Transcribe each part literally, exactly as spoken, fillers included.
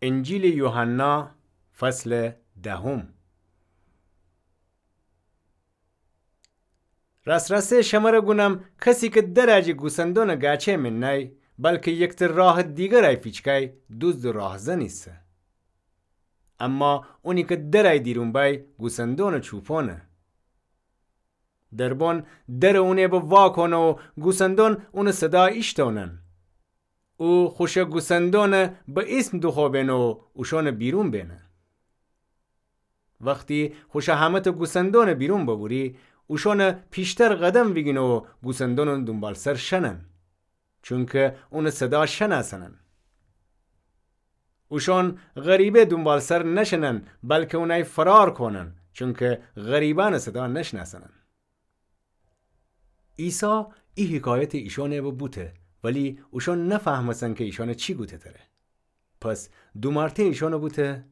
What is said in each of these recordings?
انجیلٚ یوحنا، فصلٚ دهم. راس‌راسی شمره گونم، کسی کی درٚ جٚه گوسندونٚ گاچه مین نأی، بلکی یکتٚ راهٚ دیگرأی فیچکأی، دوزد و راهزن ایسه. اما اونی کی درأی دیرون بأی، گوسندونٚ چوپونه. دربون درٚ اونٚ به واکونه و گوسندون اونٚ صدا ایشتونن. او خوشٚ گوسندونٚ به ایسم دوخوبینه و اوشونٚ بیرون بینه. وختی خوشٚ همه‌تأ گوسندونٚ بیرون ببوری، اوشونٚ پیشتر قدم ویگینه و گوسندونٚ دونبالسر شنن، چونکی اونٚ صدا شنأسنن. اوشون غریبه دونبالسر نشنن، بلکی اونأی فرار کونن، چونکی غریبأنٚ صدا نشنأسنن. عیسی ای حکایتٚ ایشونٚ به بوته، ولی اوشون نفهمستن کی ایشانٚ چی گوته تره. پس دومارتأ ایشونٚ بوته: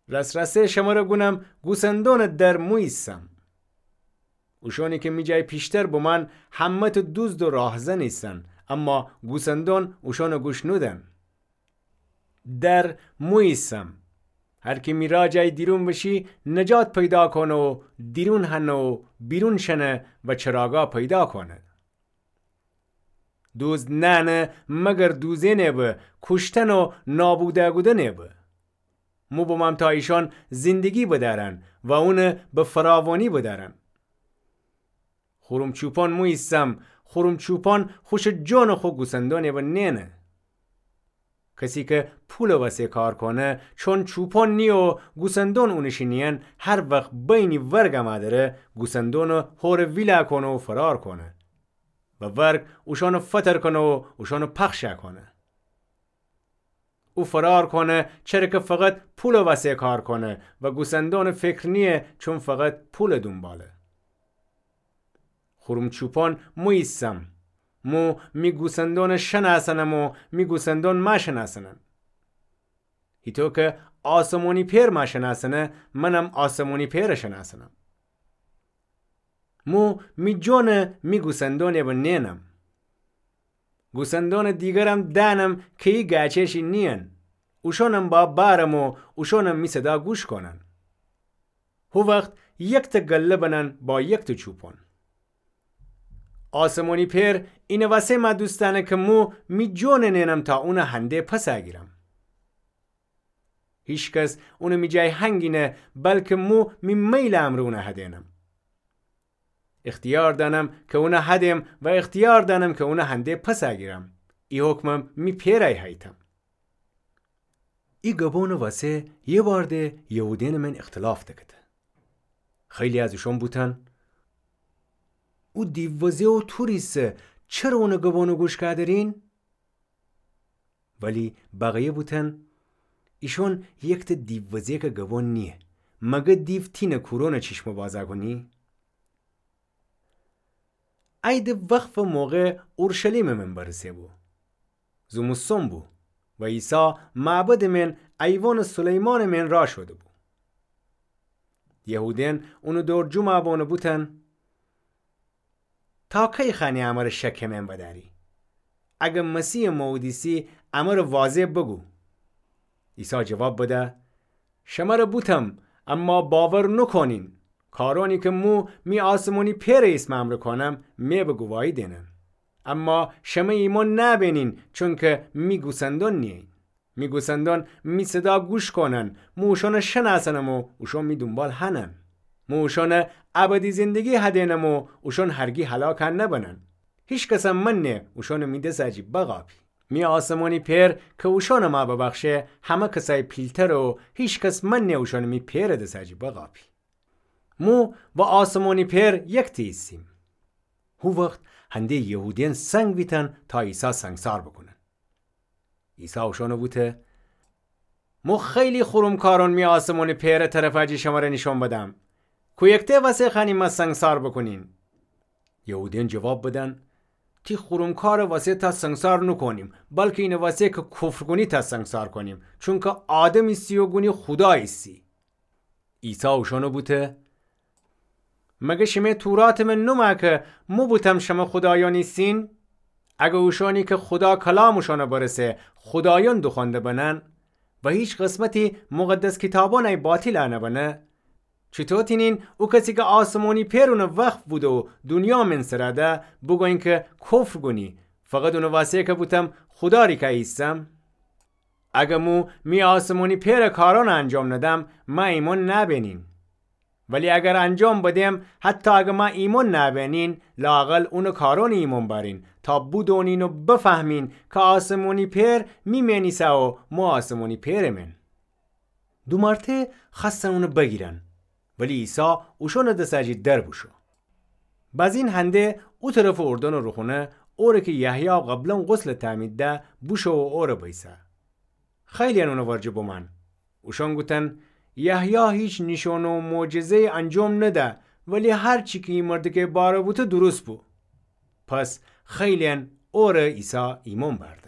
راس‌راسی شمره گونم، گوسندونٚ در مو ایسم. اوشونی کی می جای پیشتر بومأن، همه‌تأ دوزد و راهزن ایسن، اما گوسندون اوشونٚ گوش نودن. در مو ایسم. هر کی می را جای دیرون بشی، نجات پیدا کونه و دیرون هنه و بیرون شنه و چراگا پیدا کونه. دوزد نأنه مگر دوزئنٚ به، کوشتن و نابودا کودنٚ به. مو بومم تا ایشان زندگی بدأرن و اونٚ به فراوانی بدأرن. خورم چوپان مو ایسم، خورم چوپان خوشٚ جونٚ خو گوسندونٚ به نئنه. کسی کی پولٚ وسه کار کونه، چون چوپان نییه و گوسندون اونٚ شی نییأن، هر وخت بینی ورگ امأ دره، گوسندونٚ هورٚ ویلا کونه و فرار کونه. و ورگ اوشانٚ فتر کونه و اوشانٚ پخشأ کونه. او فرار کونه، چره کی فقط پولٚ وسه کار کونه و گوسندونٚ فکر نییه، چون فقط پولٚ دونباله. خورم چوپان مو ایسم. مو می گوسندونٚ شنأسنم و می گوسندون مأ شنأسنن. هیطو کی آسمونی پئر مأ شنأسنه، منم آسمونی پئرٚ شنأسنم. مو می جونٚ می گوسندونٚ به نئنم. گوسندونٚ دیگرم دأنم کی ای گأچه شی نیین. اوشونم بأ بأرم و اوشونم می صدا گوش کونن. هو وخت یکتأ گله بنن با یکتأ چوپان. آسمونی پئر اینٚ وسه مأ دوست دأنه کی مو می جونٚ نئنم تا اونٚ هنده پسأ گیرم. هیکس اونٚ می جای هنگینه، بلکی مو می میلٚ امرأ اونٚ هدینم. اختیار دأنم کی اونٚ هدیم و اختیار دأنم کی اونٚ هنده پسأ گیرم. ای حکمم می پئرأی هیتم. ای گبونٚ وسه یه بار ده یهودینٚ مین اختلاف دکته. خیلی از اوشون بوتن: او دیووزه و تور ایسه، چره اونٚ گبونٚ گوش کادرین؟ ولی بقیه بوتن: ایشون یکتأ دیووزه‌کٚ گبون نییه، مگه دیو تینٚ کورونٚ چشمٚ بازأ کونی؟ عیدٚ وقفٚ موقع اورشلیمٚ مین برسه بو. زمستون بو و عیسی معبدٚ مین ایوانٚ سلیمانٚ مین را شوده بو. یهودین اونٚ دور جمعٚ بون و بوتن: تا کی خوأنی امر شکٚ مین بدأری؟ اگر مسیحٚ مئودیسی امر واضح بوگو. عیسی جواب بده: شمر بوتم، اما باور نوکونین. کارونی کی مو می آسمونی پئرٚ ایسمٚ امر کونم، می به گواهی دینن. اما شمه ایمون نأبینین، چونکی می گوسندون نیین. می گوسندون می صدا گوش کونن، مو اوشون شنأسنم و اوشون می دونبال هنن. مو اوشون ابدی زندگی هدینم و اوشون هرگی هلاک نبنن. هیکسم منه اوشون می دسٚ جی بقاپی. می آسمونی پئر کی اوشون مأ ببخشه، همه کسأی پیلتره و هیکس منه اوشون می پئرٚ دسٚ جی بقاپی. مو و آسمونی پئر یکتی ایسیم. هو وخت هنده یهودین سنگ ویتن تا عیسی سنگسار بوکونن. عیسی اوشون بوته: مو خیلی خورم کارون می آسمونی پئرٚ طرفٚ جی شمر نیشون بدم. کویکته وسه خوأنی مأ سنگسار بوکونین؟ یهودین جواب بدن: تی خورم کارٚ وسه تا سنگسار نوکونیم، بلکی اینٚ وسه کی کفر کونی تا سنگسار کونیم، چونکی آدم ایسی و گونی خودا ایسی. عیسی اوشون بوته: مگه شمه توراتٚ مین نومأ کی مو بوتم شمه خودایأن ایسین؟ اگر اوشانی کی خودا کلام اوشانَ برسه خودایأن دوخوأنده بنن و هیچ قسمتی مقدس کیتابأنَ باطیلَ نبنه، چوطو تأنین او کسی کی آسمانی پئر اونٚ وقف بوده و دونیا من سرَ ده بوگویین کی کفر گونی، فقط اونٚ واسه کی بوتم خودا ریکه ایسم؟ اگر مو می آسمانی پئرٚ کارأنَ انجام ندم، مه ایمأن نبینین. ولی اگر انجام بدم، حتی اگر مه ایمأن نبینین، لااقل اونٚ کارأنَ ایمأن بأرین، تا بودونین و بفهمین کی آسمانی پئر می من ایسه و مو آسمانی پئرٚ من. دو مرته خوأستن اونَ بگیرن، ولی عیسی اوشانٚ دسٚ جی در بوشو. بزین هنده او طرفٚ اردنٚ روخونه، اوره کی یحیی قبلا غسلَ تعمید ده، بوشو و اوره بیسه. خیلی‌یأن اونٚ ورجه بمأن. اوشأن گوتن: یحیی هیچ نیشأن و معجزه‌یی انجام نده، ولی هر چی کی ای مردکه باره بوته درست بو. پس خیلی‌یأن اوره عیسی ایمأن بأرد.